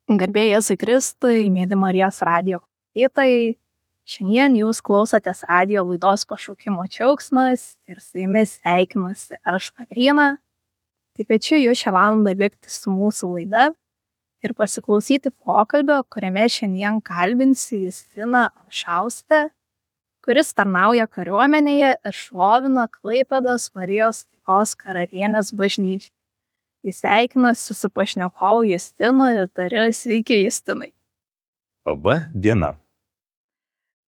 Garbė Jėzui Kristui, mėly Marijos radijo klausytojai. Šiandien jūs klausotės radijo laidos Pašaukimo džiaugsmas ir su jumis sveikinuosi aš, Kotryna. Tai kviečiu jūs šią valandą likti su mūsų laida ir pasiklausyti pokalbio, kuriame šiandien kalbinsiu Justiną Olšauskę, kuris tarnauja kariuomenėje ir šlovina Klaipėdos Marijos taikos karalienės bažnyčią. Jis sveikinasi su pašnekovu Justinu ir tariu sveiki Justinai. Laba diena.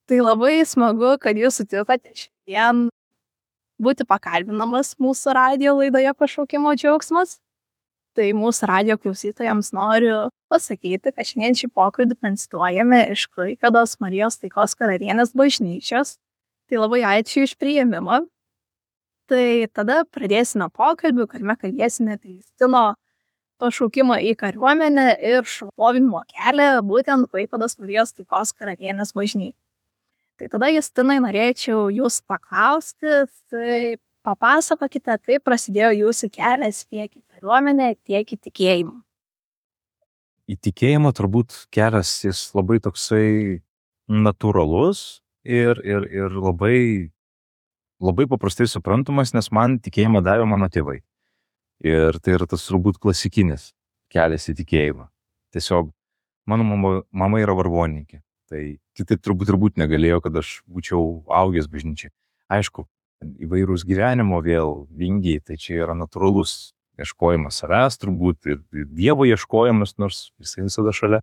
Tai labai smagu, kad jūs sutikote šiandien būti pakalbinamas mūsų radijo laidoje Pašaukimo džiaugsmas. Tai mūsų radijo klausytojams noriu pasakyti, kad šiandien šį pokalbį transliuojame iš Klaipėdos Marijos taikos karalienės bažnyčios. Tai labai ačiū iš priėmimo. Tai tada pradėsime pokalbį, kuriame kalbėsime apie Justino pašaukimą į kariuomenę ir šlovinimo kelią būtent Klaipėdos Marijos taikos karalienės bažnyčiai. Tai tada, Justinai, norėčiau jūs paklausti, tai papasakokite, kaip prasidėjo jūsų kelias tiek į kariuomenę, tiek į tikėjimą. Į tikėjimą turbūt kelias jis labai toksai natūralus ir labai paprastai suprantamas, nes man tikėjimą davė mano tėvai. Ir tai yra tas turbūt klasikinis kelias į tikėjimą. Tiesiog mano mama yra vargonininkė. Tai kitaip turbūt negalėjo, kad aš būčiau augęs bažnyčiai. Aišku, įvairūs gyvenimo vėl vingiai, tai čia yra natūralus ieškojimas savęs turbūt ir Dievo ieškojimas, nors jisai visada šalia.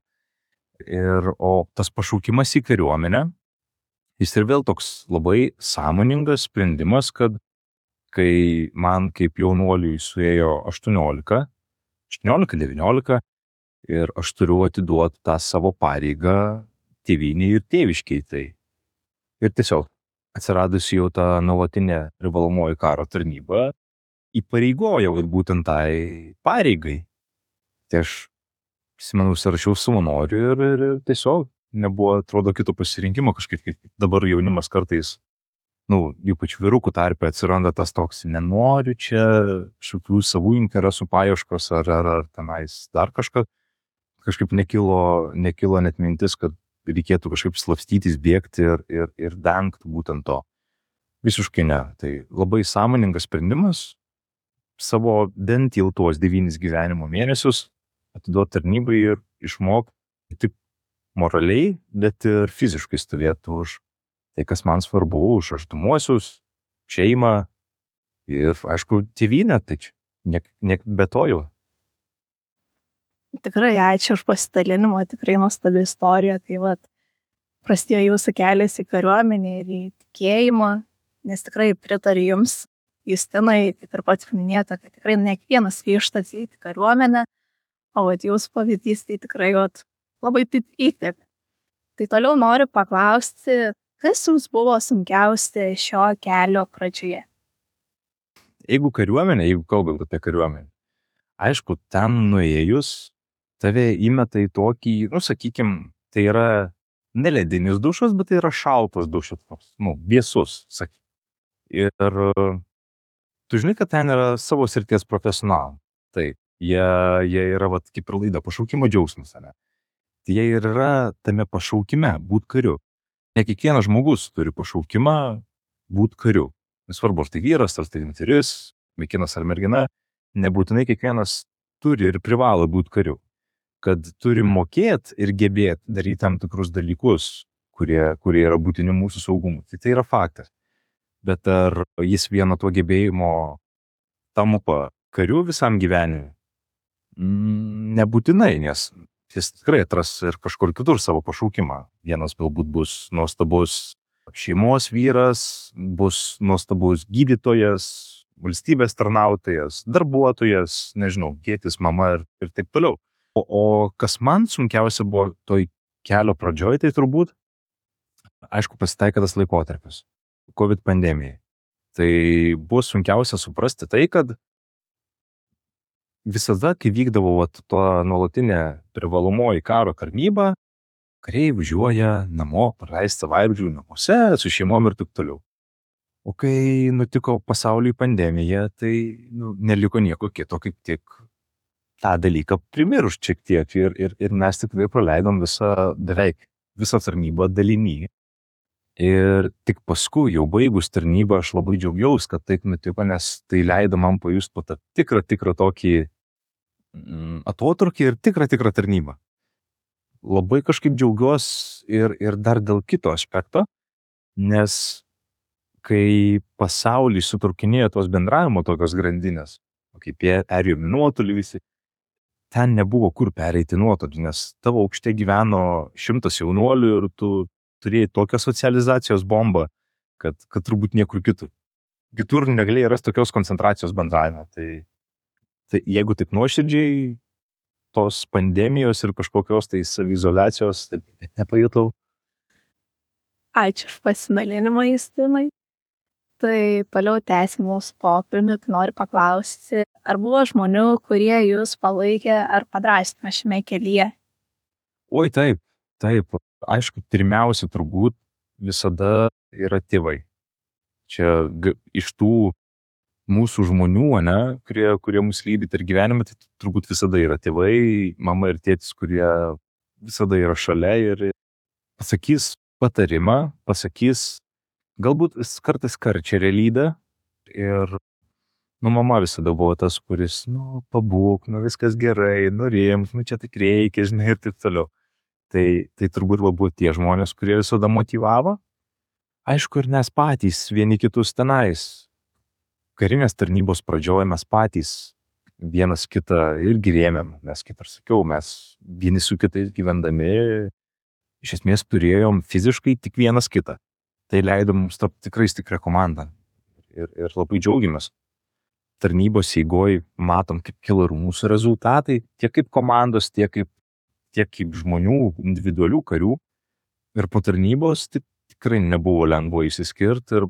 O tas pašaukimas į kariuomenę, jis ir vėl toks labai sąmoningas sprendimas, kad kai man kaip jaunuoliui suėjo 18, 19 ir aš turiu atiduoti tą savo pareigą tėvynei ir tėviškiai. Tai. Ir tiesiog atsiradusi jau ta nuolatinė privalomoji karo tarnyba įpareigojo būtent tai pareigai. Tai aš prisimenu, užsirašiau savanorių ir tiesiog nebuvo, atrodo, kito pasirinkimo kažkaip. Dabar jaunimas kartais, ypač vyrukų tarpe atsiranda tas toks, nenoriu čia šokių savų interesų paieškos ar tenais dar kažkaip nekilo net mintis, kad reikėtų kažkaip slapstytis, bėgti ir dengti būtent to. Visiškai ne. Tai labai sąmoningas sprendimas savo bent jau tuos 9 gyvenimo mėnesius atiduoti tarnybai ir išmokti tik moraliai, bet ir fiziškai stovėti už tai, kas man svarbu, už artimuosius, šeimą ir, aišku, tėvynę, tai niek be to jau. Tikrai ačiū už pasidalinimą, tikrai nuostabi istorija. Tai prasidėjo jūsų kelias į kariuomenę ir į tikėjimą, nes tikrai pritariu jums, Justinai, kaip ir pats minėjote, kad tikrai ne kiekvienas ryžtas į kariuomenę, o jūsų pavyzdys tai tikrai labai įkvėpė. Tai toliau noriu paklausti, kas jums buvo sunkiausia šio kelio pradžioje? Jeigu kalbant apie kariuomenę, aišku, ten nuėjus, tave įmeta į tokį, sakykim, tai yra ne ledinis dušas, bet tai yra šaltas dušas, vėsus, sakykim. Ir tu žinai, kad ten yra savo srities profesionalai. Tai jie yra, kaip ir laida Pašaukimo džiaugsmas, ne? Tai jie ir yra tame pašaukime būt kariu. Ne kiekvienas žmogus turi pašaukimą būt kariu. Nesvarbu, ar tai vyras, ar tai moteris, vaikinas ar mergina, nebūtinai kiekvienas turi ir privalo būt kariu. Kad turi mokėti ir gebėti daryti tam tikrus dalykus, kurie yra būtini mūsų saugumui. Tai yra faktas. Bet ar jis vieno to gebėjimo tampa kariu visam gyvenimui? Nebūtinai, nes jis tikrai atras ir kažkur kitur savo pašaukimą. Vienas galbūt bus nuostabus šeimos vyras, bus nuostabus gydytojas, valstybės tarnautojas, darbuotojas, nežinau, tėtis, mama ir taip toliau. O kas man sunkiausia buvo toj kelio pradžioj, tai turbūt, aišku, pasitaikė tas laikotarpis, COVID pandemija. Tai buvo sunkiausia suprasti tai, kad visada, kai vykdavo to nuolatinė privalomoji karo tarnyba, kariai važiuoja namo, praleisti savaitgalių namuose, su šeimom ir taip toliau. O kai nutiko pasauliui pandemija, tai neliko nieko kito, kaip tik tą dalyką primiršt šiek tiek ir mes tikrai praleidom beveik visą tarnybą dalinį. Ir tik paskui, jau baigus tarnybą, aš labai džiaugiausi, kad taip nutiko, nes tai leido man pajusti po tą tikrą tokį atotrukį ir tikrą tarnybą. Labai kažkaip džiaugiuosi ir dar dėl kito aspekto, nes kai pasaulį sutrukinėjo tos bendravimo tokios grandinės, kaip jie perėjo nuotolį visi, ten nebuvo kur pereiti nuotolį, nes tavo aukšte gyveno 100 jaunuolių ir tu turėjai tokią socializacijos bombą, kad turbūt niekur kitur. Kitur negalėjai rasti tokios koncentracijos bendravimo. Tai jeigu taip nuoširdžiai, tos pandemijos ir kažkokios tai saviizoliacijos nepajutau. Ačiū už pasidalinimą, Justinai. Tai toliau tęsim mūsų pokalbį, tai noriu paklausti, ar buvo žmonių, kurie jūs palaikė ar padrąsino šiame kelyje? Oi, taip. Aišku, pirmiausia turbūt visada yra tėvai. Čia iš tų mūsų žmonių, kurie mus lydi per gyvenimą, tai turbūt visada yra tėvai, mama ir tėtis, kurie visada yra šalia ir pasakys patarimą, galbūt kartais karčia realybę ir, mama visada buvo tas, kuris, pabūk, viskas gerai, rimk, čia tik reikia, žinai, ir taip toliau. Tai turbūt buvo tie žmonės, kurie visada motyvavo. Aišku, ir mes patys vieni kitus tenais. Karinės tarnybos pradžioje mes patys vienas kitą irgi rėmėm, nes, kaip ir sakiau, mes vieni su kitais gyvendami, iš esmės turėjom fiziškai tik vienas kitą. Tai leido mums tapti tikrai stiprią komandą ir labai džiaugiamės. Tarnybos eigoj matom, kaip kilo ir mūsų rezultatai, tiek kaip komandos, tiek kaip žmonių, individualių karių. Ir po tarnybos tikrai nebuvo lengva išsiskirti ir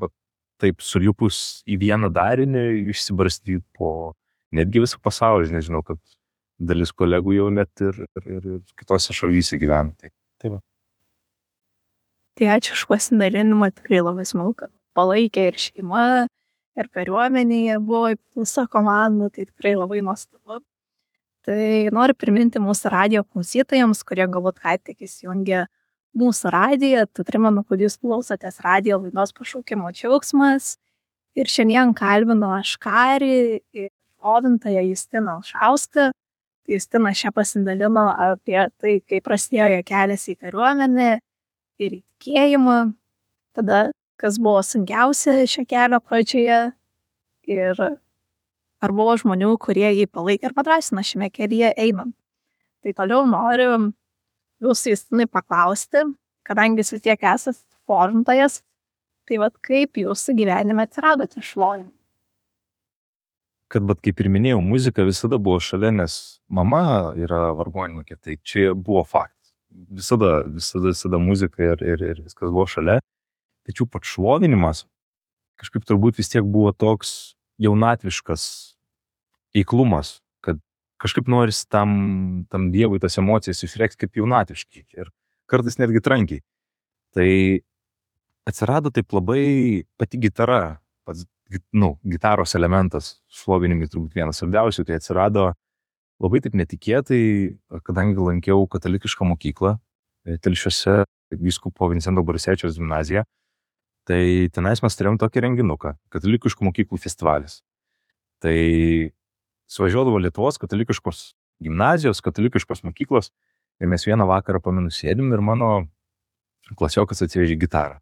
taip sulipus į vieną darinį išsibarstyti po netgi visą pasaulį, nežinau, kad dalis kolegų jau net ir kitose šalyse gyvena. Tai va. Tai ačiū už pasidalinimą, tikrai labai smagu, kad palaikė ir šeima, ir kariuomenėje buvo visa komanda, tai tikrai labai nuostabu. Tai noriu priminti mūsų radijo klausytojams, kurie galbūt ką tik įsijungė mūsų radiją, tai primenu, kad jūs klausotės radijo laidos Pašaukimo džiaugsmas. Ir šiandien kalbinu aš karį ir šlovintoją Justiną Alšauską. Justina čia pasidalino apie tai, kaip prasidėjo jo kelias į kariuomenę ir į tikėjimą, tada kas buvo sunkiausia šio kelio pradžioje ir ar buvo žmonių, kurie jį palaikė ir padrąsino šiame kelyje einant. Tai toliau noriu jūsų Justinai paklausti, kadangi jūs vis tiek esate šlovintojas, tai kaip jūsų gyvenime atsiradote šlovinti? Kad kaip ir minėjau, muzika visada buvo šalia, nes mama yra vargonininkė, tai čia buvo faktas. Visada muzika ir viskas buvo šalia. Tačiau pats šlovinimas kažkaip turbūt vis tiek buvo toks jaunatviškas eiklumas, kad kažkaip norisi tam Dievui tas emocijas išreikšti kaip jaunatviškai ir kartais netgi trankiai. Tai atsirado taip labai pati gitara, pats gitaros elementas šlovinimui turbūt vienas svarbiausių, tai atsirado labai taip netikėtai, kadangi lankiau katalikišką mokyklą Telšiuose, vyskupo Vincento Borisevičiaus gimnaziją. Tai tenais mes turėjom tokį renginuką, katalikiškų mokyklų festivalis. Tai suvažiuodavo Lietuvos katalikiškos gimnazijos, katalikiškos mokyklos ir mes vieną vakarą pamenu sėdim ir mano klasiokas atsivežė gitarą.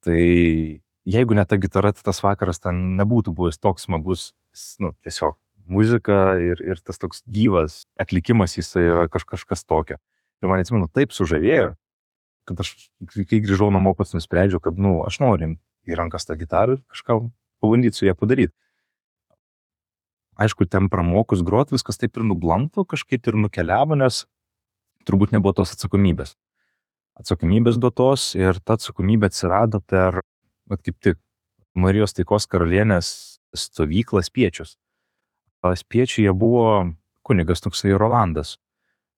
Tai jeigu ne ta gitara, tai tas vakaras ten nebūtų buvęs toks smagus, tiesiog muzika ir tas toks gyvas atlikimas, jis yra kažkas tokio. Ir man atsimenu, taip sužavėjo, kad aš, kai grįžau namo, pats nusprendžiau, kad aš noriu į rankas tą gitarą ir kažką pabandyti su ją padaryti. Aišku, ten pramokus grot, viskas taip ir nublanko, kažkaip ir nukeliavo, nes turbūt nebuvo tos atsakomybės. Atsakomybės duotos ir ta atsakomybė atsirado per, kaip tik, Marijos taikos karalienės stovyklą Spiečius. Spiečiuje buvo kunigas toksai Rolandas.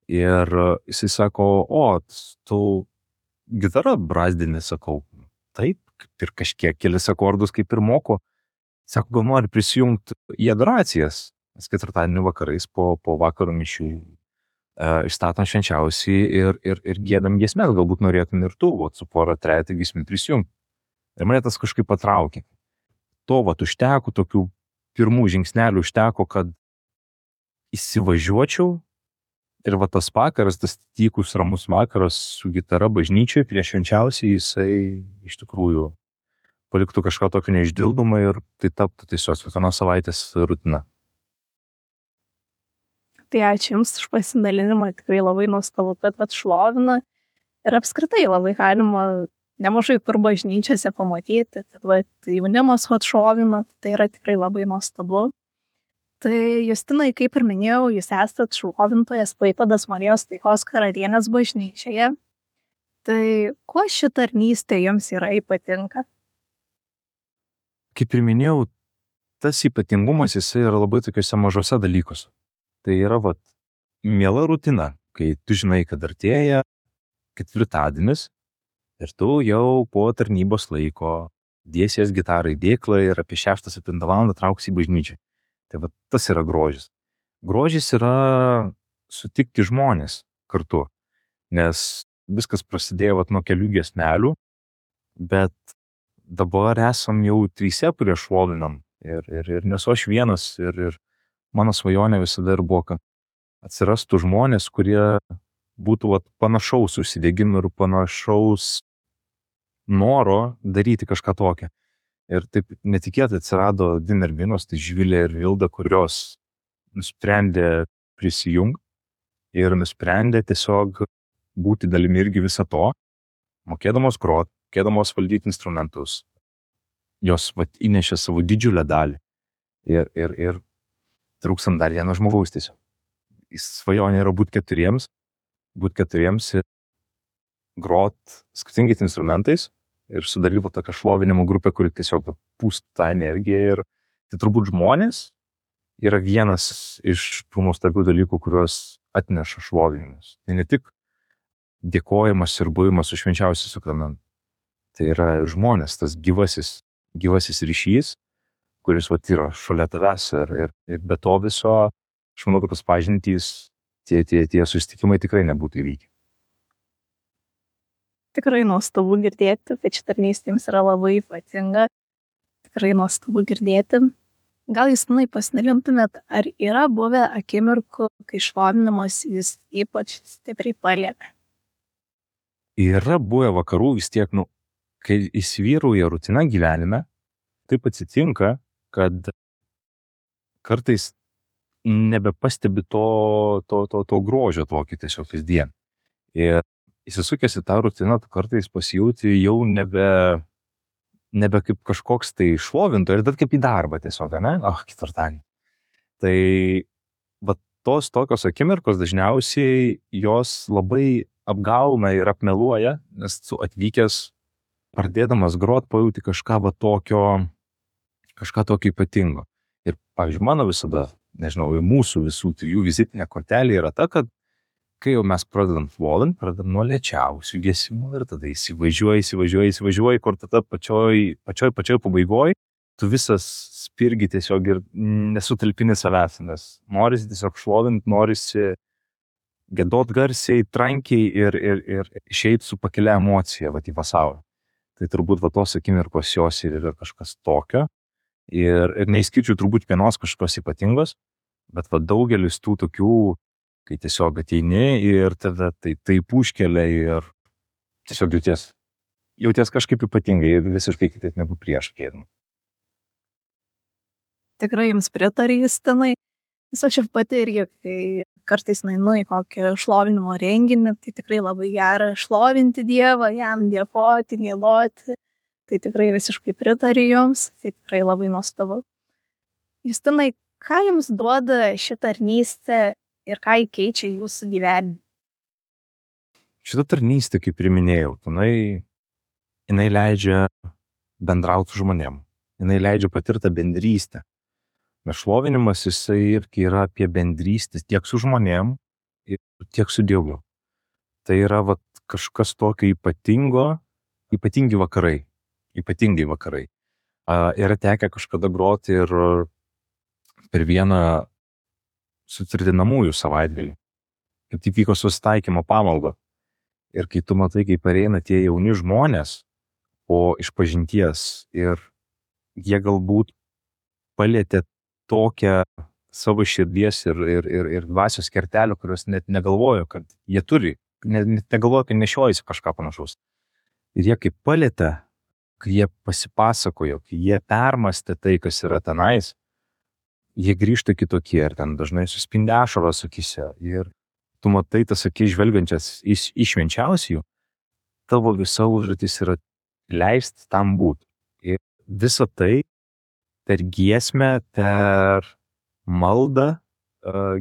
Ir jisai sako, tu gitarą brazdini, sakau, taip, ir kažkiek kelis akordus kaip ir moku. Sako, gal nori prisijungti į adoracijas. Mes ketvirtadienį vakarais po vakaro mišių išstatom švenčiausiai ir giedam giesmes, galbūt norėtum ir tu, su pora trejetą giesmių prisijungti. Ir mane tas kažkaip patraukė. To užteko, tokių pirmų žingsnelių užteko, kad įsivažiuočiau ir tas vakaras, tas tykus ramus vakaras su gitara bažnyčiai prieš švenčiausiai, jisai iš tikrųjų paliktų kažką tokio neišdildomą ir tai taptų tiesiog kiekvienos savaitės rutina. Tai ačiū Jums už pasidalinimą, tikrai labai nuostabu, kad šlovina ir apskritai labai galima nemažai kur bažnyčiose pamatyti, kad jaunimas šlovina, tai yra tikrai labai nuostabu. Tai Justinai, kaip ir minėjau, Jūs esat šlovintojas Klaipėdos Marijos Taikos Karalienės bažnyčioje. Tai kuo ši tarnystė Jums yra ypatinga? Kaip ir minėjau, tas ypatingumas jisai yra labai tokiuose mažose dalykuose. Tai yra miela rutina, kai tu žinai, kad artėja ketvirtadienis ir tu jau po tarnybos laiko dėsies gitarą į dėklą ir apie 6-7 valandą trauksi į bažnyčią. Tai tas yra grožis. Grožis yra sutikti žmonės kartu, nes viskas prasidėjo nuo kelių giesmelių, bet dabar esam jau 3, kurie šlovinam ir nesu aš vienas ir mano svajonė visada ir buvo, kad atsirastų žmonės, kurie būtų panašaus užsidegimo ir panašaus noro daryti kažką tokio. Ir taip netikėtai atsirado 2 merginos, tai Živilė ir Vilda, kurios nusprendė prisijungti ir nusprendė tiesiog būti dalimi irgi viso to, mokėdamos grot, mokėdamos valdyti instrumentus. Jos įnešė savo didžiulę dalį ir trūkstam dar vieno žmogaus tiesiog. Svajonė yra būti 4 ir grot skirtingais instrumentais ir sudalyvavo tokią šlovinimo grupę, kuri tiesiog pūstų tą energiją. Ir tai turbūt žmonės yra vienas iš tų nuostabių dalykų, kuriuos atneša šlovinimas. Tai ne tik dėkojimas ir buvimas su švenčiausiu sakramentu. Tai yra žmonės, tas gyvasis ryšys, kuris yra šalia tavęs ir be to viso, aš manau, kad tos pažintys, tie susitikimai tikrai nebūtų įvykę. Tikrai nuostabu girdėti, kad ši tarnystė Jums yra labai ypatinga. Tikrai nuostabu girdėti. Gal Justinai pasidalintumėt, ar yra buvę akimirkų, kai šlovinimas Jūs ypač stipriai palietė? Yra buvę vakarų vis tiek, kai įsivyrauja rutina gyvenime, taip atsitinka, kad kartais nebepastebi to grožio tokį tiesiog kasdien. Ir įsisukęs į tą rutiną, tu kartais pasijauti jau nebe kaip kažkoks tai šlovintojas, bet kaip į darbą tiesiog, ne? Ketvirtadienį. Tai tos tokios akimirkos dažniausiai jos labai apgauna ir apmeluoja, nes tu atvykęs, pradėdamas grot, pajauti kažką tokio ypatingo. Ir, pavyzdžiui, mano visada, nežinau, mūsų visų 3 vizitinė kortelė yra ta, kad kai jau mes pradedam šlovint, pradedam nuo lėčiausių giesmų ir tada įsivažiuoji, kur tada pačioj pabaigoj, tu visas spirgi tiesiog ir nesutalpini savęs, nes norisi tiesiog šlovint, norisi giedot garsiai, trankiai ir išeit su pakelia emocija į pasaulį. Tai turbūt tos akimirkos jos ir yra kažkas tokio ir neįskirčiau turbūt vienos kažkokios ypatingos, bet daugelis tų tokių, kai tiesiog ateini ir tada taip užkelia ir tiesiog jauties kažkaip ypatingai ir visiškai kitaip negu prieš ateidama. Tikrai Jums pritariu, Justinai. Aš ir pati irgi, kai kartais nueinu į kokį šlovinimo renginį, tai tikrai labai gera šlovinti Dievą, jam dėkoti, giedoti. Tai tikrai visiškai pritariu Jums, tai tikrai labai nuostabu. Justinai, ką Jums duoda ši tarnystė ir ką keičia Jūsų gyvenime? Šitą tarnystę, kaip ir minėjau, jinai leidžia bendrauti su žmonėm, jinai leidžia patirtą bendrystę. Nes šlovinimas jisai irgi yra apie bendrystę tiek su žmonėm ir tiek su Dievu. Tai yra kažkas tokio ypatingi vakarai. Yra tekę kažkada groti ir per vieną sutvirtinamųjų savaitgalį, kaip tik vyko susitaikymo pamalda. Ir kai tu matai, kaip pareina tie jauni žmonės po išpažinties ir jie galbūt palietė tokią savo širdies ir dvasios kertelę, kurios net negalvojo, kad jie turi, net negalvojo, kad nešiojasi kažką panašaus. Ir jie kaip palietė, kai jie pasipasakojo, kai jie permastė tai, kas yra tenais, jie grįžta kitokie ir ten dažnai suspindi ašaros akyse. Ir tu matai tas akis žvelgiančias iš švenčiausiųjų, tavo visa užduotis yra leisti tam būti. Ir visa tai per giesmę, per maldą,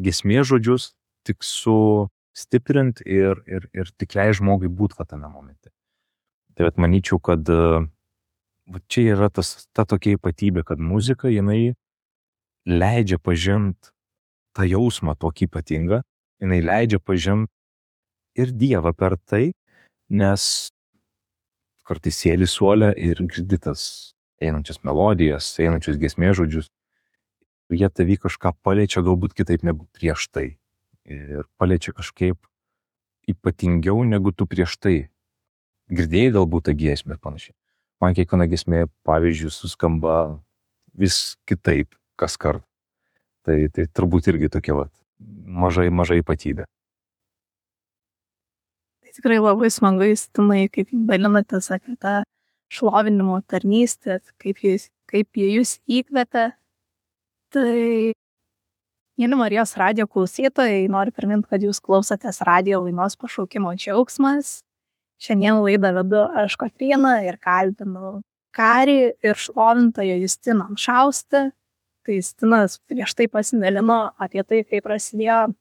giesmės žodžius, tik sustiprint ir tik leis žmogui būti tame momente. Tai manyčiau, kad čia yra ta tokia ypatybė, kad muzika, jinai leidžia pažinti tą jausmą tokį ypatingą, jinai leidžia pažinti ir Dievą per tai, nes kartais sėdi suole ir girdi tas einančias melodijas, einančius giesmės žodžius. Jie tavį kažką paliečia galbūt kitaip negu prieš tai. Ir paliečia kažkaip ypatingiau negu tu prieš tai. Girdėjai galbūt tą giesmę ir panašiai. Man kiekviena giesmė, pavyzdžiui, suskamba vis kitaip kas kart. Tai turbūt irgi tokia mažai ypatybė. Tai tikrai labai smagu, Justinai, kaip dalinatės apie tą šlovinimo tarnystę, kaip jie jūs įkvėpė. Tai, mėly Marijos radijo klausytojai, noriu priminti, kad jūs klausotės radijo laidos Pašaukimo džiaugsmas. Šiandien laidą vedu aš Kotryna ir kalbinu karį ir šlovintoją Justiną Amšaustę. Tai Justinas prieš tai pasidalino apie tai, kaip prasidėjo,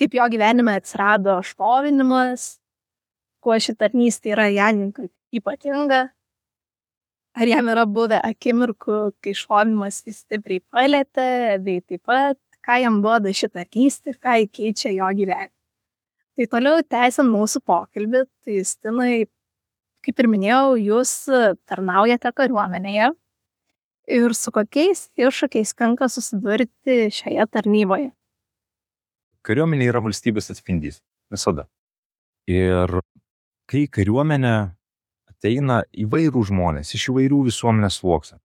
kaip jo gyvenime atsirado šlovinimas, kuo ši tarnystė yra jam ypatinga. Ar jam yra buvę akimirkų, kai šlovinimas jis stipriai palietė, bei taip pat, ką jam duoda ši tarnystė, ką keičia jo gyvenimą. Tai toliau tęsiant mūsų pokalbį, tai Justinai, kaip ir minėjau, jūs tarnaujate kariuomenėje ir su kokiais iššūkiais tenka susidurti šioje tarnyboje? Kariuomenė yra valstybės atspindys, visada. Ir kai kariuomenė ateina įvairių žmonės, iš įvairių visuomenės sluoksnių.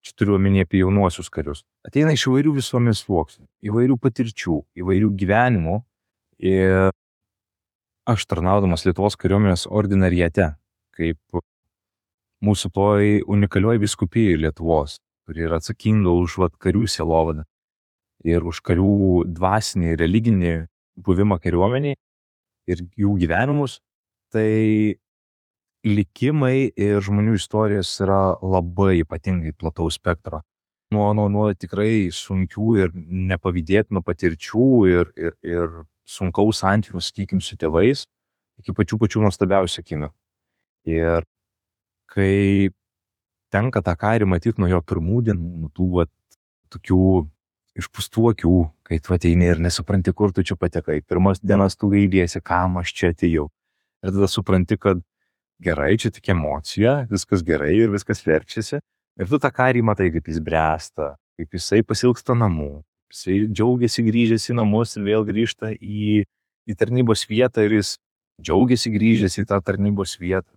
Čia turiu omenyje apie jaunuosius karius. Ateina iš įvairių visuomenės sluoksnių, įvairių patirčių, įvairių gyvenimų. Ir aš tarnaudamas Lietuvos kariuomenės ordinariate, kaip mūsų toj unikalioj vyskupijai Lietuvos, kuri yra atsakinga už karių sielovadą ir už karių dvasinį, religinį buvimą kariuomeniai ir jų gyvenimus, tai likimai ir žmonių istorijos yra labai ypatingai plataus spektro. Nuo tikrai sunkių ir nepavydėtinų patirčių ir sunkaus santykių, sakykim, su tėvais, iki pačių nuostabiausių akimirkų. Ir kai tenka tą karį matyti nuo jo pirmų dienų, nuo tų tokių išpūstų akių, kai tu ateini ir nesupranti, kur tu čia patekai. Pirmas dienas tu gailėsi, kam aš čia atėjau. Ir tada supranti, kad gerai, čia tik emocija, viskas gerai ir viskas verčiasi. Ir tu tą karį matai, kaip jis bręsta, kaip jisai pasilgsta namų. Jisai džiaugiasi grįžęs į namus ir vėl grįžta į tarnybos vietą ir jis džiaugiasi grįžęs į tą tarnybos vietą.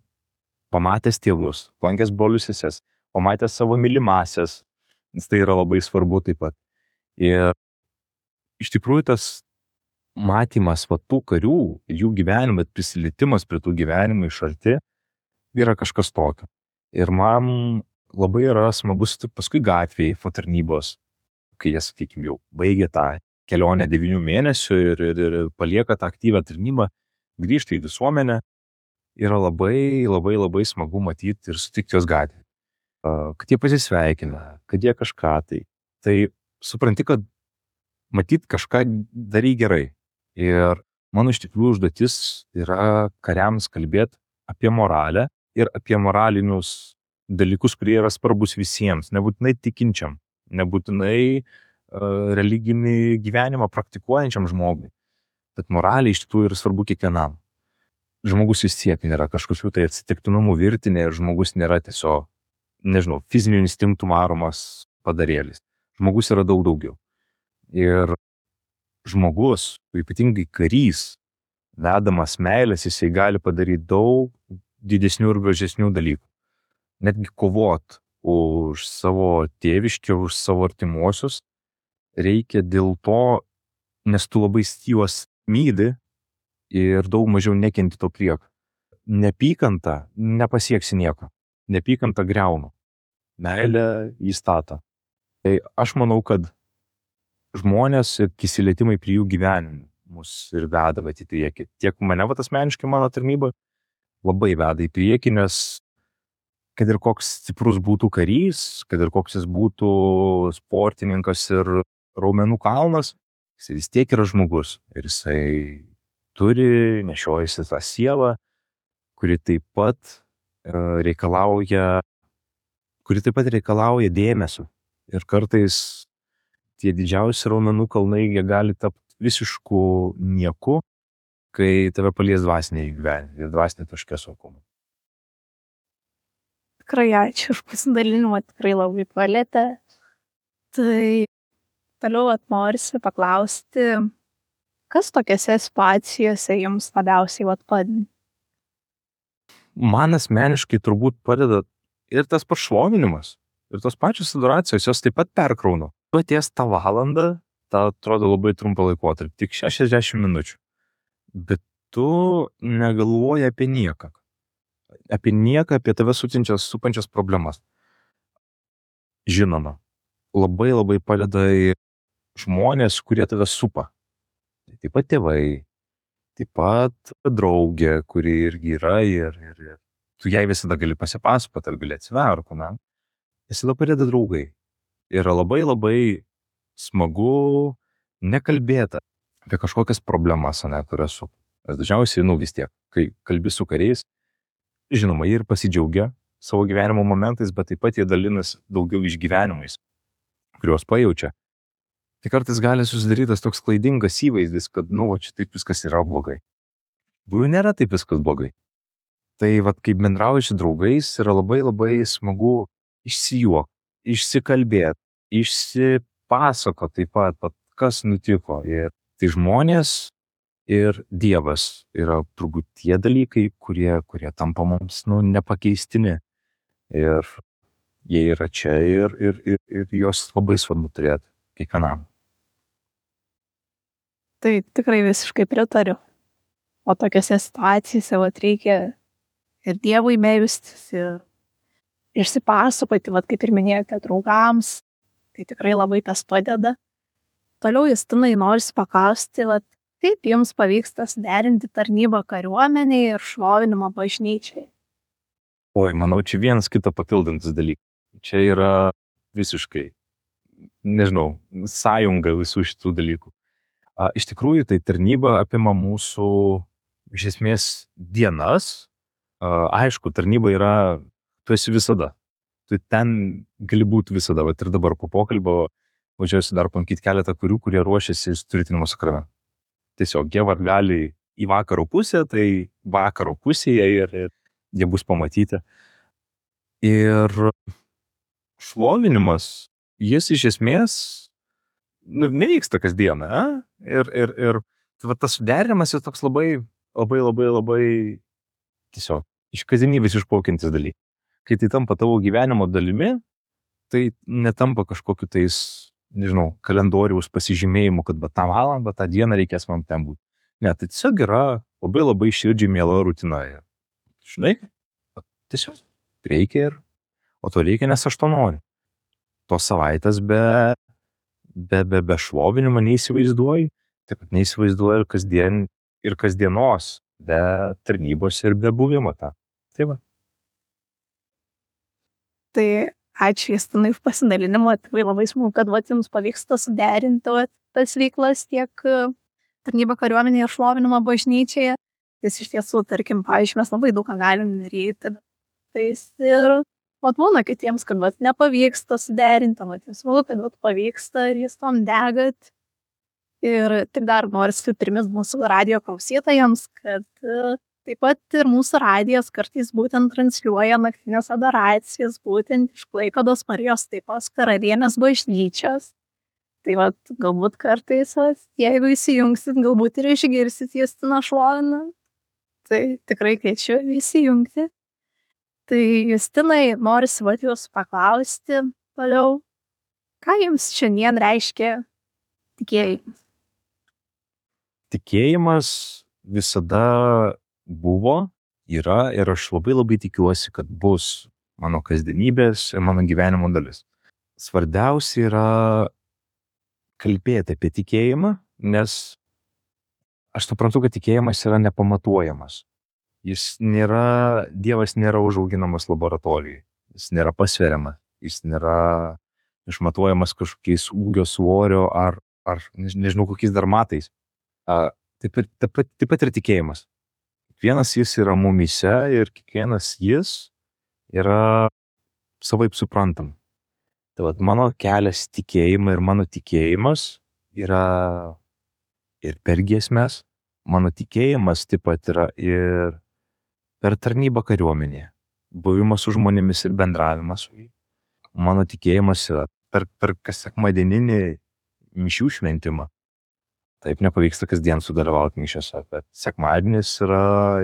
Pamatęs tėvus, lankęs brolius seses, pamatęs savo mylimasias, nes tai yra labai svarbu taip pat. Ir iš tikrųjų tas matymas tų karių ir jų gyvenimą, prisilietimas prie tų gyvenimų iš arti yra kažkas tokio. Ir man labai yra smagus paskui gatvėje po tarnybos, kai jie, sakykime, jau baigė tą kelionę 9 mėnesių ir palieka tą aktyvę tarnybą, grįžta į visuomenę, yra labai smagu matyti ir sutikti jos gatvėje. Kad jie pasisveikina, kad jie kažką tai. Tai supranti, kad matyti kažką darai gerai. Ir mano iš tikrųjų užduotis yra kariams kalbėti apie moralę ir apie moralinius dalykus, kurie yra svarbus visiems, nebūtinai tikinčiam, nebūtinai religinį gyvenimą praktikuojančiam žmogui. Bet moraliai iš tikrųjų yra svarbu kiekvienam. Žmogus vis tiek nėra kažkokių tai atsitiktinumų virtinė ir žmogus nėra tiesiog, fizinių instinktų varomas padarėlis. Žmogus yra daug daugiau. Ir žmogus, ypatingai karys, vedamas meilės, jisai gali padaryti daug didesnių ir gražesnių dalykų. Netgi kovot už savo tėviškę, už savo artimuosius reikia dėl to, nes tu labai juos myli ir daug mažiau nekenti to priekio. Nepykanta nepasieksi nieko. Nepykanta griauna. Meilė įstata. Tai aš manau, kad žmonės ir įsilietimai prie jų gyvenimų mus ir veda į priekį. Tiek mane asmeniškai mano tarnyba labai veda į priekį, nes kad ir koks stiprus būtų karys, kad ir koks jis būtų sportininkas ir raumenų kalnas, jis vis tiek yra žmogus. Ir jisai turi, nešiojasi tą sielą, kuri taip pat reikalauja dėmesio. Ir kartais tie didžiausi raumenų kalnai jie gali tapti visišku nieku, kai tave palies dvasiniai gyvenimai ir dvasinė taškė saugumo. Tikrai ačiū už pasidalinimą, tikrai labai palietė. Tai toliau norisi paklausti, kas tokiose situacijose jums labiausiai padeda? Man asmeniškai turbūt padeda ir tas pašlovinimas, ir tos pačios adoracijos, jos taip pat perkrauna. Tu atėjęs tą valandą, ta atrodo labai trumpą laikotarpį, tik 60 minučių. Bet tu negalvoji apie nieką. Apie nieką, apie tave supančias problemas. Žinoma, labai padeda žmonės, kurie tave supa. Taip pat tėvai, taip pat draugė, kuri irgi yra ir tu jai visada gali pasipasakoti, ar gali atsiverti, ne? Visada padeda draugai. Yra labai smagu nekalbėti apie kažkokias problemas, ne, kurias su. Dažniausiai, vis tiek, kai kalbi su kariais, žinoma, jie ir pasidžiaugia savo gyvenimo momentais, bet taip pat jie dalinasi daugiau išgyvenimais, kuriuos pajaučia. Tai kartais gali susidarytas toks klaidingas įvaizdis, kad, čia taip viskas yra blogai. Nėra taip viskas blogai. Tai kaip bendrauji su draugais, yra labai smagu išsijuokti, išsikalbėti, išsipasakoti taip pat, kas nutiko. Ir tai žmonės ir Dievas yra turbūt tie dalykai, kurie tampa mums nepakeistini. Ir jie yra čia ir juos labai svarbu turėti kiekvienam. Tai tikrai visiškai pritariu. O tokiose situacijose reikia ir Dievui melstis, ir išsipasakoti, kaip ir minėjote, draugams. Tai tikrai labai tas padeda. Toliau, Justinai, norisi paklausti, kaip jums pavyksta suderinti tarnybą kariuomenėje ir šlovinimą bažnyčiai? Oi, manau, čia vienas kitą papildantis dalykas. Čia yra visiškai, sąjunga visų šitų dalykų. Iš tikrųjų, tai tarnyba apima mūsų, iš esmės, dienas. Aišku, tarnyba yra, tu esi visada. Tu ten gali būti visada. Ir dabar po pokalbio važiuosi dar pamatyti keletą karių, kurie ruošiasi sutvirtinimo sakramentui. Tiesiog jie gali į vakaro pusę, tai vakaro pusėje ir jie bus pamatyti. Ir šlovinimas, jis iš esmės nevyksta kasdieną. Ir tas suderinimas yra toks labai tiesiog iš kasdienybės išplaukiantis dalykas. Kai tai tampa tavo gyvenimo dalimi, tai netampa kažkokiu tais, kalendoriaus pasižymėjimu, kad tą valandą, tą dieną reikės man ten būti. Ne, tai tiesiog yra labai širdžiai miela rutina. Žinai, tiesiog reikia o to reikia, nes aš to noriu. Tos savaitės be šlovinimo neįsivaizduoju, taip pat neįsivaizduoju ir kasdienos, be tarnybos ir be buvimo tą. Tai va. Tai ačiū, Justinai, už pasidalinimą. Tikrai labai smagu, kad jums pavyksta suderinti tas veiklas tiek tarnybą kariuomenėje ir šlovinimą bažnyčioje. Jis iš tiesų, tarkim, pavyzdžiui, mes labai daug ką galim daryti. Tai ir būna kitiems, kad nepavyksta suderinti, smagu, kad pavyksta ir jūs tom degat. Ir tik dar noriu primint mūsų radijo klausytojams, kad taip pat ir mūsų radijas kartais būtent transliuoja naktinės adoracijas, būtent iš Klaipėdos Marijos Taikos Karalienės bažnyčios. Tai vat, galbūt kartais, jeigu įsijungsit, galbūt ir išgirsit Justiną šlovinant. Tai tikrai kviečiu įsijungti. Tai Justinai, norisi vat jūsų paklausti toliau, ką jums šiandien reiškia tikėjimas? Tikėjimas visada buvo, yra ir aš labai tikiuosi, kad bus mano kasdienybės ir mano gyvenimo dalis. Svarbiausia yra kalbėti apie tikėjimą, nes aš suprantu, kad tikėjimas yra nepamatuojamas. Dievas nėra užauginamas laboratorijai, jis nėra pasveriamas, jis nėra išmatuojamas kažkokiais ūgio svorio ar nežinau kokiais dar matais. Taip pat ir tikėjimas. Kiekvienas jis yra mumyse ir kiekvienas jis yra savaip suprantam. Tai vat mano kelias tikėjimą ir mano tikėjimas yra ir per giesmes. Mano tikėjimas taip pat yra ir per tarnybą kariuomenėje, buvimas su žmonėmis ir bendravimas su jais. Mano tikėjimas yra per kas sekmadieninį mišių šventimą. Taip nepavyksta kasdien sudalyvauti mišiose, bet sekmadienis yra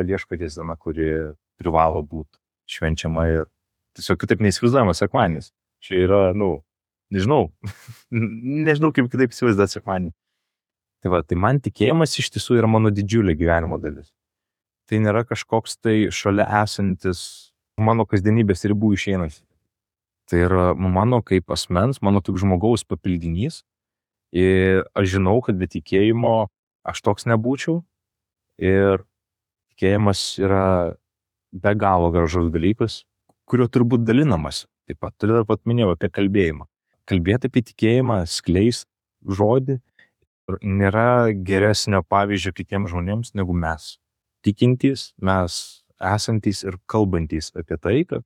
Viešpaties diena, kuri privalo būti švenčiama ir tiesiog kitaip neįsivaizduojamas sekmadienis. Čia yra, nežinau kaip kitaip įsivaizduoti sekmadienį. Tai man tikėjimas iš tiesų yra mano didžiulė gyvenimo dalis. Tai nėra kažkoks tai šalia esantis mano kasdienybės ribų išeinas. Tai yra mano kaip asmens, mano kaip žmogaus papildinys. Ir aš žinau, kad be tikėjimo aš toks nebūčiau. Ir tikėjimas yra be galo gražus dalykas, kurio turbūt dalinamas. Taip pat turiu dar pat minėjau apie kalbėjimą. Kalbėti apie tikėjimą, skleist žodį nėra geresnio pavyzdžio kitiems žmonėms negu mes. Tikintys, mes esantys ir kalbantys apie tai, kad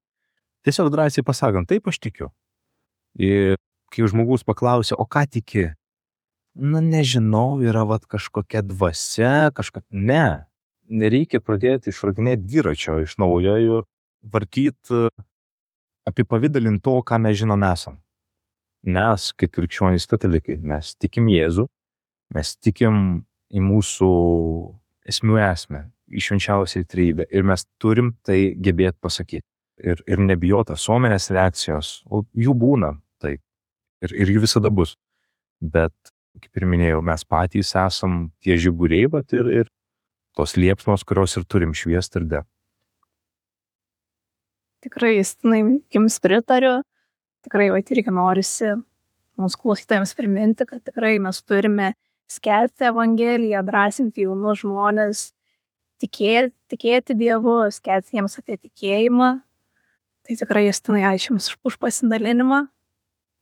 tiesiog drąsiai pasakant, taip aš tikiu. Ir kai žmogus paklausia, o ką tiki? Nežinau, yra kažkokia dvasia, Ne, nereikia pradėti išradinėti dviračio iš naujo ir vartyti apipavidalinti to, ką mes žinom esam. Mes, kaip krikščionys katalikai, mes tikim Jėzų, mes tikim į mūsų esmių esmę, į švenčiausią trejybę ir mes turim tai gebėti pasakyti. Ir nebijoti visuomenės reakcijos, o jų būna, taip, ir jų visada bus. Bet, kaip ir minėjau, mes patys esam tie žiburiai, bet ir tos liepsnos, kurios ir turim šviesti ir degti. Tikrai, Justinai, jums pritariu. Tikrai, irgi norisi mūsų klausytojams priminti, kad tikrai mes turime skelbti Evangeliją, drąsinti jaunus žmonės, tikėti Dievu, skelbti jiems apie tikėjimą. Tai tikrai, Justinai, ačiū Jums už pasidalinimą.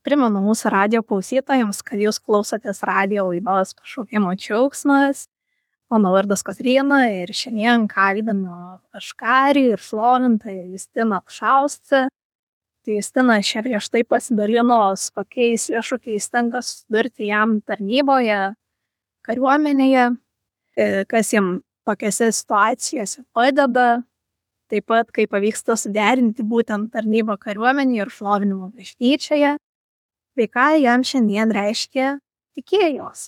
Primenu mūsų radijo klausytojams, kad Jūs klausotės radijo laidos Pašaukimo džiaugsmas. Mano vardas Kotryna ir šiandien kalbinu Aškarį ir šlovintoją Justiną Apšaustę. Tai Justina čia prieš tai pasidalino, su kokiais iššūkiais tenka susidurti jam tarnyboje, kariuomenėje, kas jam tokiose situacijose padeda, taip pat kaip pavyksta suderinti būtent tarnybą kariuomenėje ir šlovinimo bažnyčioje, bei ką jam šiandien reiškia tikėjimas.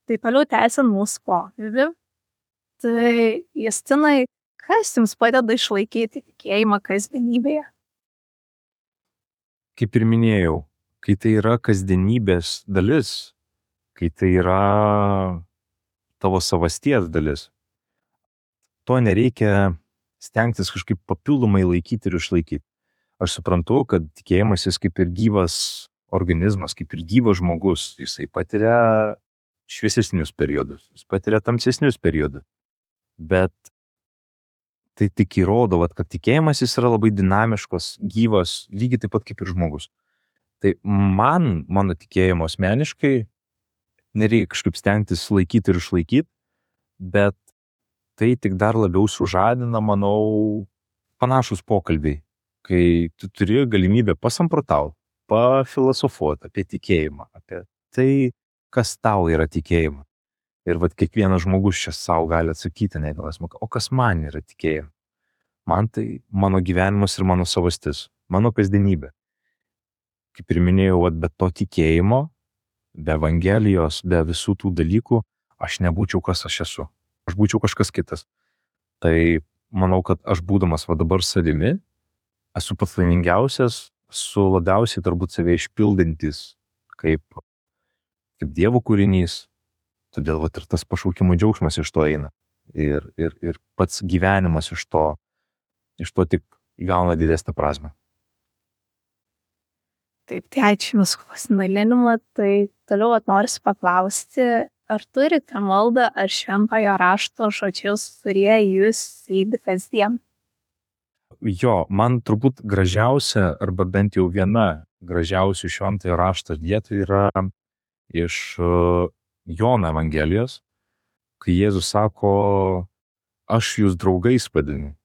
Tai toliau tęsiant mūsų pokalbį. Tai Justinai, kas jums padeda išlaikyti tikėjimą kasdienybėje? Kaip ir minėjau, kai tai yra kasdienybės dalis, kai tai yra tavo savasties dalis, to nereikia stengtis kažkaip papildomai laikyti ir išlaikyti. Aš suprantu, kad tikėjimas jis kaip ir gyvas organizmas, kaip ir gyvas žmogus, jisai patiria šviesesnius periodus, jis patiria tamsesnius periodus. Bet tai tik įrodo, kad tikėjimas jis yra labai dinamiškas, gyvas, lygiai taip pat kaip ir žmogus. Tai mano tikėjimo asmeniškai nereikia kažkaip stengtis laikyti ir išlaikyti, bet tai tik dar labiau sužadina, manau, panašus pokalbiai, kai tu turi galimybę pasamprotauti, pafilosofuoti apie tikėjimą, apie tai, kas tau yra tikėjimas. Ir kiekvienas žmogus čia savo gali atsakyti, o kas man yra tikėjimas? Man tai mano gyvenimas ir mano savastis, mano kasdienybė. Kaip ir minėjau, be to tikėjimo be Evangelijos, be visų tų dalykų, aš nebūčiau kas aš esu. Aš būčiau kažkas kitas. Tai manau, kad aš būdamas va dabar savimi, esu pats laimingiausias, su labiausiai turbūt save išpildantis kaip Dievo kūrinys. Todėl va ir tas pašaukimo džiaugsmas iš to eina. Ir pats gyvenimas iš to tik įgauna didesnę prasmę. Taip, tai ačiū Jums pasidalinimą. Tai toliau norisi paklausti, ar turite maldą ar šventojo rašto žodžius, kurie Jūs lydi kasdien? Jo, man turbūt gražiausia, arba bent jau viena gražiausių šventojo rašto vietų yra iš Jono Evangelijos, kai Jėzus sako, aš jūs draugais vadinu.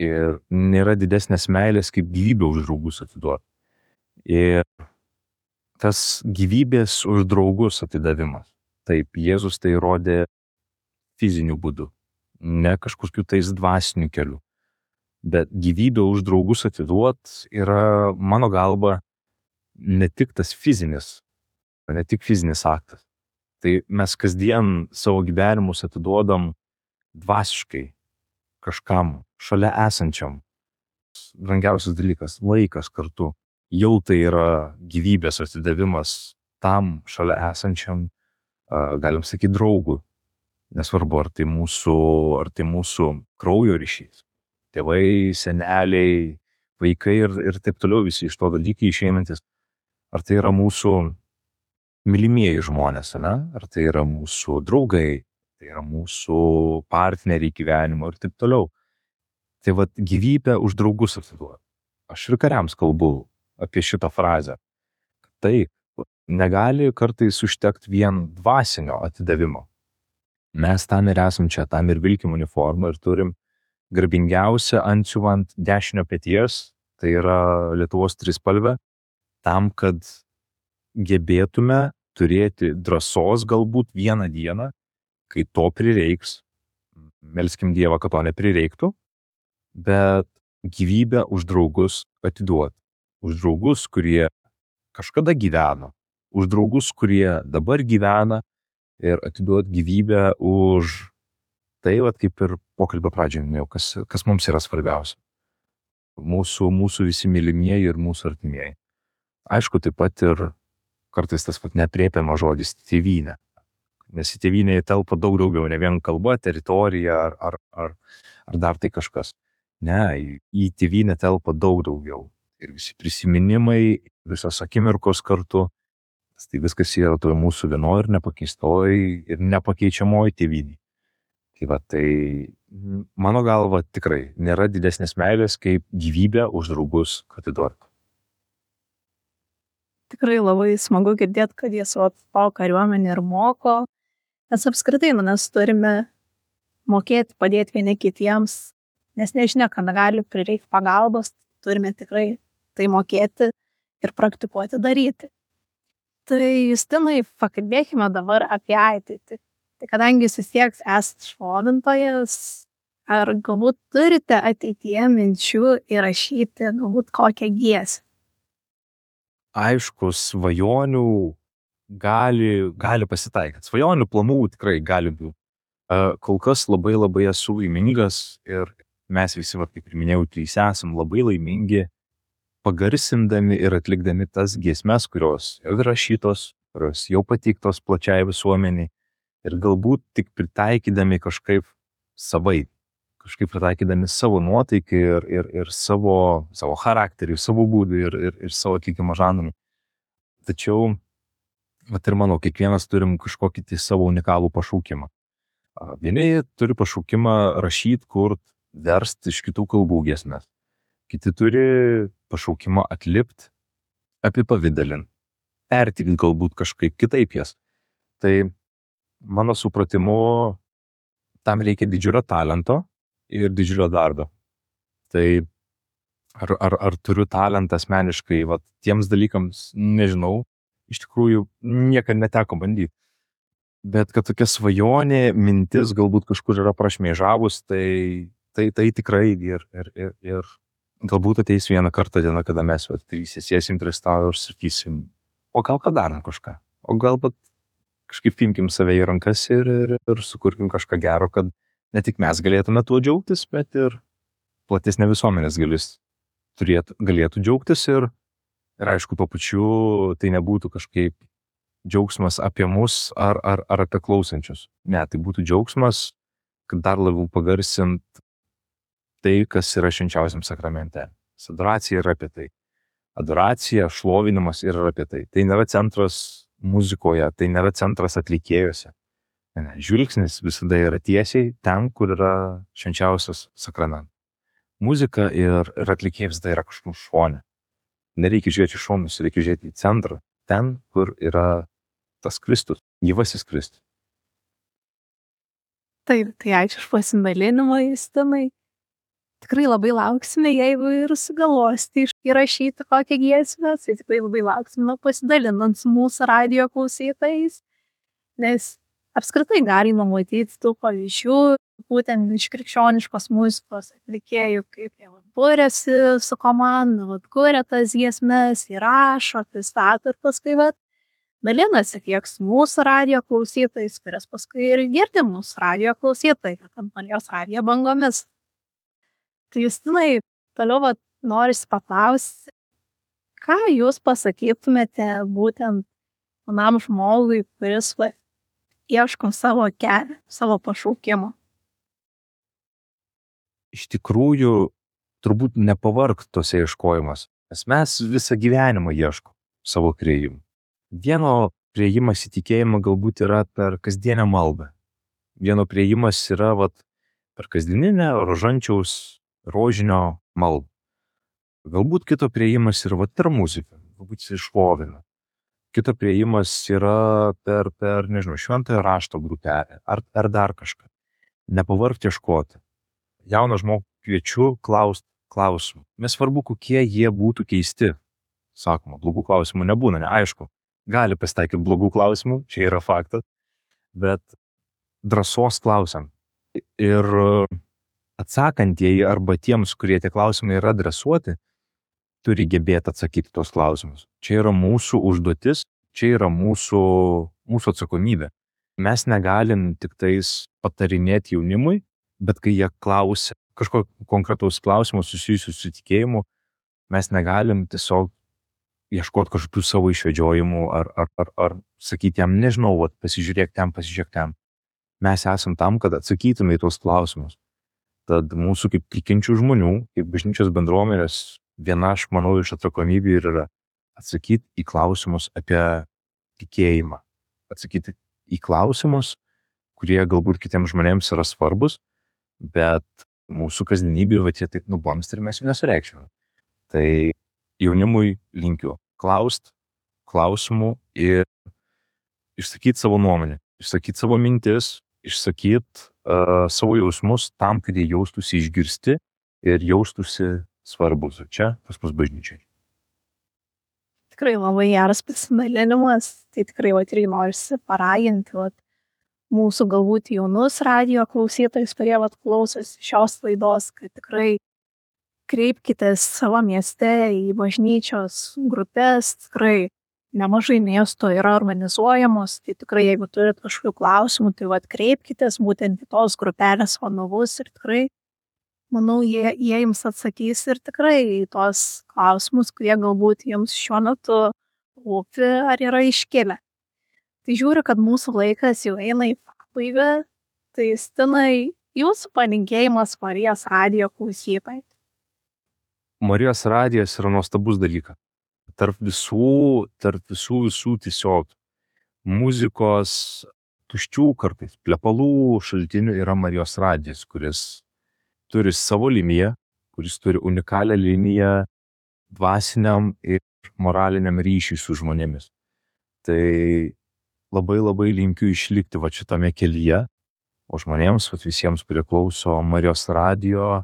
Ir nėra didesnės meilės, kaip gyvybę už draugus atiduoti. Ir tas gyvybės už draugus atidavimas. Taip, Jėzus tai rodė fiziniu būdu, ne kažkokiu tais dvasiniu keliu. Bet gyvybę už draugus atiduot yra, mano galva, ne tik tas fizinis, ne tik fizinis aktas. Tai mes kasdien savo gyvenimus atiduodam dvasiškai kažkam, šalia esančiam. Brangiausias dalykas - laikas kartu. Jau tai yra gyvybės atidavimas tam šalia esančiam, galim sakyti, draugui. Nesvarbu, ar tai mūsų kraujo ryšys. Tėvai, seneliai, vaikai ir taip toliau, visi iš to dalykai išeinantis. Ar tai yra mūsų mylimieji žmonės, ne? Ar tai yra mūsų draugai, tai yra mūsų partneriai gyvenimo ir taip toliau. Tai vat gyvybę už draugus atiduoti. Aš ir kariams kalbu apie šitą frazę. Tai negali kartais užtekti vien dvasinio atidavimo. Mes tam ir esam čia, tam ir vilkim uniformą ir turim garbingiausią antsiuvą ant dešinio peties, tai yra Lietuvos trispalvė, tam, kad gebėtume turėti drąsos galbūt vieną dieną, kai to prireiks, melskim Dievą, kad to neprireiktų, bet gyvybę už draugus atiduoti. Už draugus, kurie kažkada gyveno, už draugus, kurie dabar gyvena ir atiduoti gyvybę už tai, vat, kaip ir pokalbio pradžioje minėjau, kas mums yra svarbiausia. Mūsų visi mylimieji ir mūsų artimieji. Aišku, taip pat ir kartais tas neaprėpiamas žodis tėvynė. Nes į tėvynę telpa daug daugiau, ne vien kalba, teritorija ar dar tai kažkas. Ne, į tėvynę telpa daug daugiau. Ir visi prisiminimai, visos akimirkos kartu. Tai viskas yra toj mūsų vienoj ir nepakeistoj ir nepakeičiamoj tėvynėj. Tai va, tai mano galva tikrai nėra didesnės meilės, kaip gyvybę už draugus atiduoti. Tikrai labai smagu girdėti, kad jie savo kariuomenę ir moko, nes apskritai mes turime mokėti padėti vieni kitiems, nes nežinia, kada gali prireikti pagalbos, turime tikrai tai mokėti ir praktikuoti daryti. Tai Justinai, pakalbėkime dabar apie ateitį. Tai kadangi jūs vis tiek esate šlovintojas, ar galbūt turite ateityje minčių įrašyti galbūt kokią giesmę? Aišku, svajonių gali pasitaikyti. Svajonių planų tikrai gali būti. Kol kas labai esu laimingas ir mes visi, kaip ir minėjau, trys esam labai laimingi, pagarsindami ir atlikdami tas giesmes, kurios jau įrašytos, kurios jau pateiktos plačiai visuomeniai ir galbūt tik pritaikydami kažkaip savai, kažkaip pritaikydami savo nuotaikį ir savo charakterį, savo būdų ir savo atlikimo žanrų. Tačiau, vat ir manau, kiekvienas turim kažkokį tai savo unikalų pašaukimą. Vieni turi pašaukimą rašyti, kurt, versti iš kitų kalbų giesmes. Kiti turi pašaukimą atlipti, apipavidalint, pertikti galbūt kažkaip kitaip jas. Tai mano supratimu, tam reikia didžiulio talento ir didžiulio darbo. Tai ar turiu talentą asmeniškai, tiems dalykams, nežinau, iš tikrųjų niekada neteko bandyti. Bet kad tokia svajonė, mintis galbūt kažkur yra prašmėžavus, tai tikrai ir galbūt ateis vieną kartą diena, kada mes visi sėsim prie stalo ir sakysim, o gal ką darom kažką. o galbūt kažkaip imkim save į rankas ir sukurkim kažką gero, kad ne tik mes galėtume tuo džiaugtis, bet ir platesnė visuomenės galėtų džiaugtis ir aišku, tuo pačiu tai nebūtų kažkaip džiaugsmas apie mus ar apie klausančius. Ne, tai būtų džiaugsmas, kad dar labiau pagarsint tai, kas yra švenčiausiam sakramente. Adoracija yra apie tai. Adoracija, šlovinimas yra apie tai. Tai nėra centras muzikoje, tai nėra centras atlikėjuose. Ne, žvilgsnis visada yra tiesiai ten, kur yra švenčiausias sakramentas. Muzika ir atlikėjas tai yra kažkur šone. Nereikia žiūrėti iš šonus, reikia žiūrėti į centrą, ten, kur yra tas Kristus, gyvasis Kristus. Taip, tai ačiū už pasidalinimą, Justinai. Tikrai labai lauksime, jeigu ir sugalvosite įrašyti kokią giesmę, tai tikrai labai lauksime pasidalinant su mūsų radijo klausytojais, nes apskritai galima matyti tų pavyzdžių, būtent iš krikščioniškos muzikos atlikėjų, kaip jie būrėsi su komanda, kuria tas giesmes, įrašo, pristato ir paskui dalinasi tiek su mūsų radijo klausytojais, kurias paskui ir girdi mūsų radijo klausytojai, ant Marijos radijo bangomis. Tai Justinai, toliau norisi paklausti, ką jūs pasakytumėte būtent manam žmogui, kuris ieško savo kelią, savo pašaukimo? Iš tikrųjų, turbūt nepavargt tose ieškojimas, nes mes visą gyvenimą ieškom savo priėjimų. Vieno priėjimas į tikėjimą galbūt yra per kasdienę maldą. Vieno priėjimas yra per kasdieninę rožančiaus rožinio maldą. Galbūt kito priėjimas yra per muziką, galbūt jis iššlovina. Kito priėjimas yra per nežinau, šventojo rašto grupelę ar dar kažką. Nepavargti ieškoti. Jauną žmogų kviečiu klausti klausimų. Nesvarbu, kokie jie būtų keisti. Sakoma, blogų klausimų nebūna, neaišku. Gali pasitaikyti blogų klausimų, čia yra faktas, bet drąsos klausiam. Ir atsakantieji arba tiems, kurie tie klausimai yra adresuoti, turi gebėti atsakyti tos klausimus. Čia yra mūsų užduotis, čia yra mūsų atsakomybė. Mes negalim tik tais patarinėti jaunimui, bet kai jie klausia kažko konkretaus klausimo susijusiu su tikėjimu, mes negalim tiesiog ieškoti kažkokių savo išvedžiojimų ar sakyti jam, nežinau, pasižiūrėk ten. Mes esam tam, kad atsakytume į tos klausimus. Tad mūsų kaip tikinčių žmonių, kaip bažnyčios bendruomenės, viena, aš manau, iš atsakomybių yra atsakyti į klausimus apie tikėjimą. Atsakyti į klausimus, kurie galbūt kitiems žmonėms yra svarbus, bet mūsų kasdienybė jie taip nubamsti ir mes jų nesureikšime. Tai jaunimui linkiu klaust klausimų ir išsakyti savo nuomonę, išsakyti savo mintis, išsakyti savo jausmus tam, kad jie jaustųsi išgirsti ir jaustųsi svarbus čia pas mus bažnyčiai. Tikrai labai geras pasidalinimas, tai tikrai irgi norisi paraginti mūsų galbūt jaunus radijo klausytojus, kurie klausosi šios laidos, kad tikrai kreipkitės savo mieste į bažnyčios grupės, tikrai nemažai miesto yra organizuojamos, tai tikrai jeigu turit kažkokių klausimų, tai kreipkitės būtent į tos grupelės vadovus ir tikrai, manau, jie jums atsakys ir tikrai į tos klausimus, kurie galbūt jums šiuo metu rūpi ar yra iškilę. Tai žiūriu, kad mūsų laikas jau eina į pabaigą, tai Justinai, jūsų palinkėjimas Marijos radijo klausytojai. Marijos radijas yra nuostabus dalykas. Tarp visų tiesiog muzikos tuščių kartais plepalų šaltinių yra Marijos radijas, kuris turi savo liniją, kuris turi unikalią liniją dvasiniam ir moraliniam ryšiui su žmonėmis. Tai labai linkiu išlikti šitame kelyje, o žmonėms, visiems, kurie klauso Marijos radijo,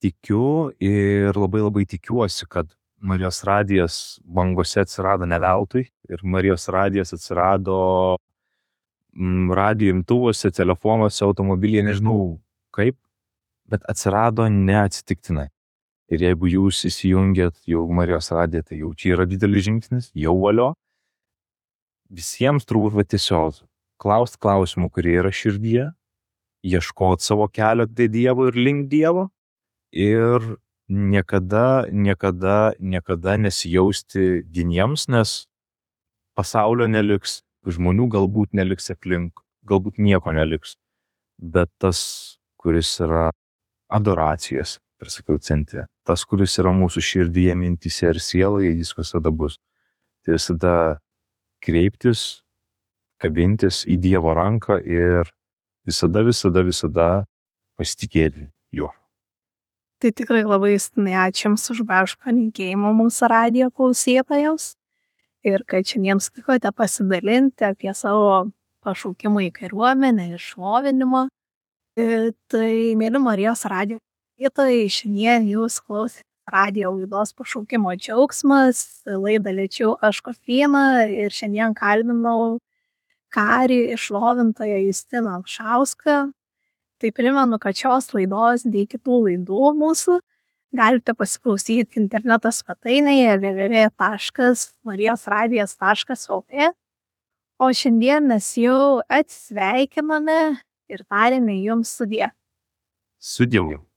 tikiu ir labai tikiuosi, kad Marijos radijas bangose atsirado ne veltui ir Marijos radijas atsirado radijo imtuvuose, telefonuose, automobilyje, nežinau kaip, bet atsirado neatsitiktinai. Ir jeigu jūs įsijungėt jau Marijos radiją, tai jau čia yra didelis žingsnis, jau valio. visiems turbūt tiesiog klaust klausimų, kurie yra širdyje, ieškot savo kelio prie Dievo ir link Dievo ir niekada nesijausti vieniems, nes pasaulio neliks, žmonių galbūt neliks aplink, galbūt nieko neliks, bet tas, kuris yra adoracijos, ir sakiau, centre, tas, kuris yra mūsų širdyje, mintyse ir sieloje, jis visada bus. Tai visada kreiptis, kabintis į Dievo ranką ir visada pasitikėti juo. Tai tikrai labai Justinai ačiū Jums už gražų palinkėjimą mūsų radijo klausytojams ir kad šiandien sutikote pasidalinti apie savo pašaukimą į kariuomenę ir šlovinimą. Tai, mėly Marijos radijo klausytojai, šiandien Jūs klausėte radijo laidos Pašaukimo džiaugsmas, laidą lėčiau aš Kotryna ir šiandien kalbinau karį šlovintoją Justiną Alšauską. Tai primenu, kad šios laidos bei kitų laidų mūsų galite pasiklausyti interneto svetainėje www.marijosradijas.lt. O šiandien mes jau atsisveikiname ir tarėme Jums sudie. Su Dievu.